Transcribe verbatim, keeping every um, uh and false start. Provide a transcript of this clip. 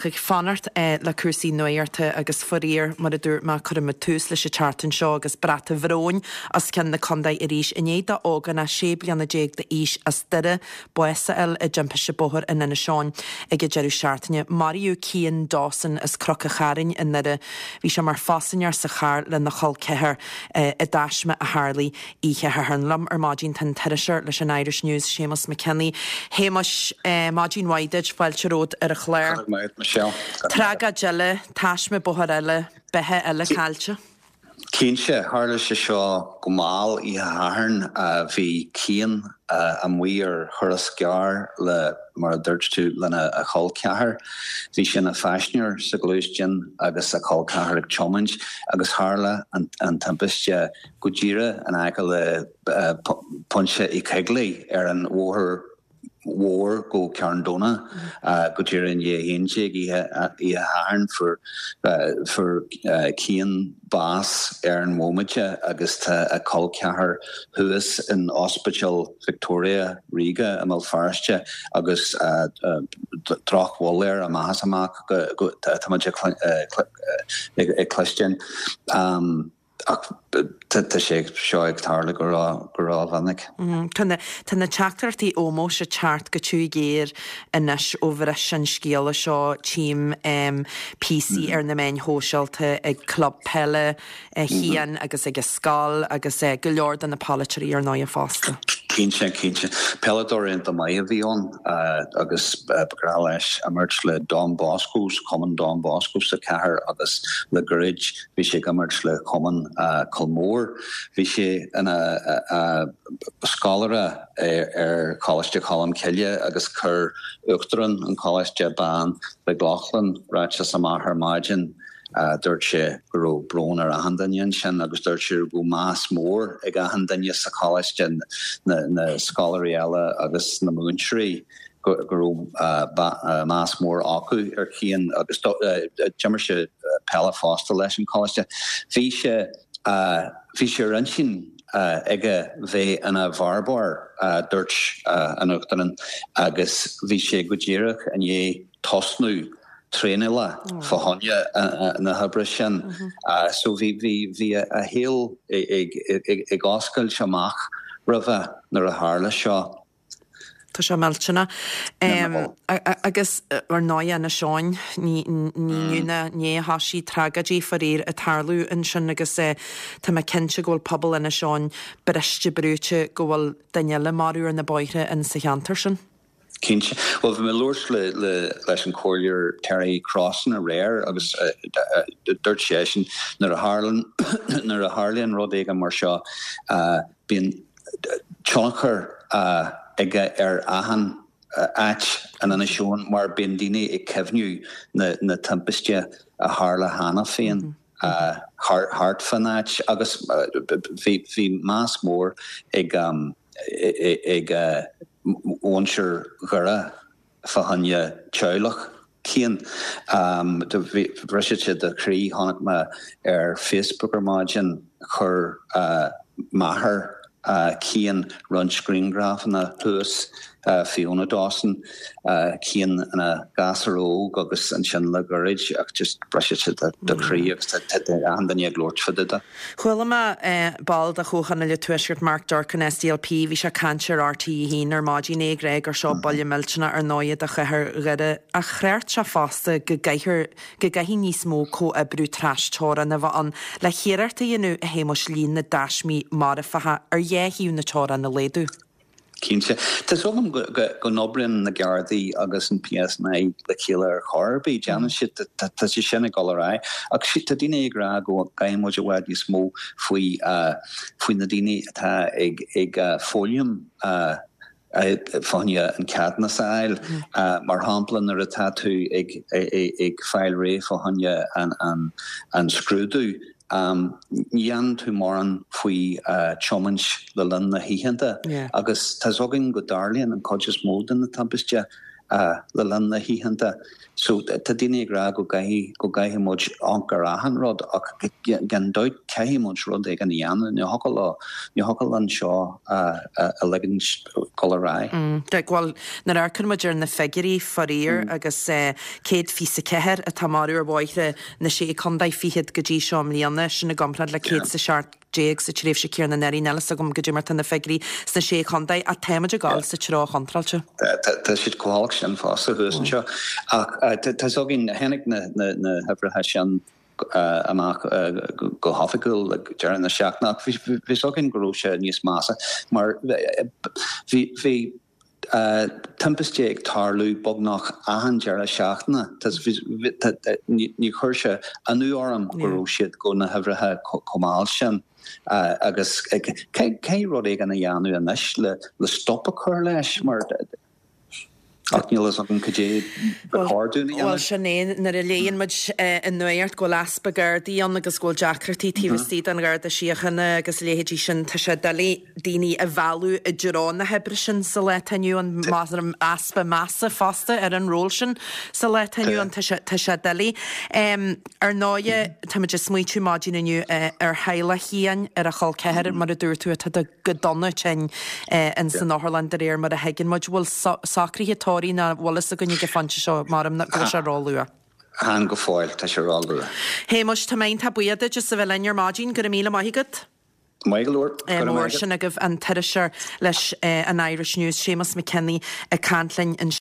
Ag fanacht le cúrsaí nuachta agus faraor, mar a dúirt mé, cuirimid tús leis an tseachtain seo agus brat an bhróin os cionn na contae arís i ndiaidh d'ógánach sé bliana déag d'aois as Doire bás a fháil i dtimpiste bóthair in Inis Eoghain ag an deireadh seachtaine. Maraíodh Cian Dawson as Cnoc an Chairn i nDoire. Bhí sé mar phaisinéir sa charr lena chol ceathar i dtaisme a tharlaigh oíche Shathairn. Liom ar maidin tá an t-iriseoir leis an Irish News, Séamus McKinney. Shéamuis, maidin mhaith duit, fáilte romhat ar an chlár. Michelle. Tragóid eile, taisme bóthair eile, beatha eile caillte. Cinnte, tharla sé seo go mall oíche Shathairn. Bhí Cian amuigh ar thuras gearr le, mar a dúirt tú, lena a chol ceathar. Bhí sé ina phaisinéir sa ghluaisteán agus a chol ceathar ag tiomáint agus tharla an, an timpiste go díreach in aice le Pointe Uí Choigligh ar an bhóthar mhór go Carndonagh go díreach i ndiaidh a haon déag oíche Shathairn. Fuair fuair Cian bás ar an bhomaite agus tá a chol ceathar thuas in Ospidéal Victoria Ríoga i mBéal Feirste agus drochbhail air amach is amach tá muid ag cloisteáil. Ach tá sé seo ag tarlú go rómhinic. Tá na tá na teachtaireachtaí ómóis ag teacht go tiubh géar anois ó bhris an scéala seo. Tchím píosaí ar na meáin shóisialta ag club peile Chian agus ag a scoil agus go leor de na polaiteoirí ar ndóigh fosta. Cinnte, cinnte. Peileadóir iontach maith a bhí ann agus ba ghnách leis imirt le Don Bosco's, Cumann Don Bosco sa chathair agus le gairid bhí sé ag imirt le Cumann Culmore. Bhí sé ina scoláire ar Choláiste Cholm Cille agus chuir Uachtarán an Choláiste Ben McLaughlin ráiteas amach ar maidin. Dúirt sé go raibh brón ar achan duine ansin agus dúirt sé go raibh meas mór ag achan duine sa choláiste, na scoláirí eile agus na múinteoirí, go raibh meas mór acu ar Chian agus d'imir sé peile fosta leis an choláiste. Bhí sé bhí sé ar intinn aige bheith ina bhearbóir, dúirt an Uachtarán, agus bhí sé go díreach i ndiaidh tosnú traenála fá choinne na hoibre sin. So bhí bhí bhí a shaol ag ag oscailt amach roimhe nuair a tharla seo. Tá sé millteanach. Agus ar ndóigh Inis Eoghain, ní inniu ná inné a thosaigh tragóidí faraor ag tarlú ansin agus tá mé cinnte go bhfuil pobal Inis Eoghain briste brúite go bhfuil duine eile marbh ar na bóithre in sa cheantar sin. Cinnte. Bhuel, bhí mé ag labhairt le, le, leis an Comhairleoir Terry Crossan aréir agus dúirt seisean nuair a tharlaíonn nuair a tharlaíonn rud éigin mar seo, bíonn tionchar aige ar achan áit in Inis Eoghain mar bíonn daoine ag cuimhniú na, na timpiste a tharla cheana féin thart fán áit agus bhí, bhí meas mór ag ag muintir Dhoire fá choinne teaghlach Cian. Bhris sé do chroí, chonaic mé ar Facebook ar maidin, chuir máthair Cian roinnt grianghrafanna thuas, Fiona Dawson, Cian ina ghasúr óg agus ansin le gairid ach just briseann sé do chroí agus tá achan duine ag labhairt fá dtaobh de. Chuala mé ball de Chomhthionól an Tuaiscirt, Mark Durkan, S D L P, bhí sé ag caint ar R T a haon ar maidin, é ag rá gur seo buille millteanach ar ndóigh do chathair Dhoire ach chreid sé fosta go gcaithfear go gcaithfidh níos mó comhoibriú trasteorann a bheith ann le hiarracht a dhéanamh a Shéamuis líon na dtaismí marfacha ar dhá thaobh na teorann a laghdú. Cinnte. Tá súil agam go n-oibríonn na Gardaí agus an P S N I le chéile ar chor ar bith. Déanann siad, tá sé sin ag dul ar aghaidh. Ach tá daoine ag rá go gcaithfidh muid i bhfad níos mó faoi faoi na daoine atá ag ag foghlaim fá choinne an ceadúnas a fháil. Mar shampla, nuair atá tú ag ag fáil réidh fá choinne an an scrúdú, ní dhéanann tú mórán faoi tiomáint le linn na hoícheanta agus tá's againn go dtarlaíonn an chuid is mó de na timpiste le linn na hoícheanta. So tá daoine ag rá go gcaithfidh go gcaithfidh muid amharc ar achan rud ach gan dabht caithfidh muid rud éigin a dhéanamh, ní thiocfadh leo, ní thiocfadh linn seo a ligint dul ar aghaidh. Bhuel, nuair a amharcann muid ar na figiúirí, faraor, agus céad fiche ceathair atá marbh ar bhóithre na Sé Chontae Fichead go dtí seo i mbliana, sin i gcomparáid le céad is a seacht déag sa tréimhse chéanna anuraidh. Níl a fhios agam goidé mar tá na figiúirí sna Sé Chontae ach táimid ag dul sa treo chontráilte. Tá siad chomh holc sin fosta thuas anseo. Ach tá fhios againn, tháinig na huimhreacha sin amach go hoifigiúil ag deireadh na seachtaine ach bhí fhios againn go raibh sé níos measa mar bhí bhí timpiste ag tarlú beagnach achan deireadh seachtaine. Ní chuir sé ionadh orm go raibh siad go na huimhreacha chomh mall sin agus caithfidh rud éigin a dhéanamh anois le stop a chur leis mar ach níl fhios agam cad é ba chóir dúinn a dhéanamh. Bhuel, sin é, nuair a léann muid i nuacht go bhfuil easpa Gardaí ann agus go bhfuil deacrachtaí taobh istigh den Gharda Síochána agus a leithéidí sin, tá sé doiligh daoine a mhealladh i dtreo na hoibre sin sa lá atá inniu ann, easpa measa fosta ar an ról sin sa lá atá inniu ann, tá sé, tá sé doiligh. Ar ndóighe, táimid ag smaoitiú maidin inniu ar theaghlach Chian, ar a chol ceathar, mar a dúirt tú, atá go dona tinn in san otharlann de réir mar a thuigeann muid. Bhfuil socruithe tórraimh ná bhfuil fhios againn ag an phointe seo, maram go bhfuil sé ró-luath. Chan go fóill, tá sé ró-luath. Shéamuis, tá mé iontach buíoch duit as a bheith linn ar maidin, go raibh míle maith agat. Maith go leor. Go raibh Mór maith agat. sin agaibh an t-iriseoir leis an Irish News, Séamus McKinney ag caint linn anseo.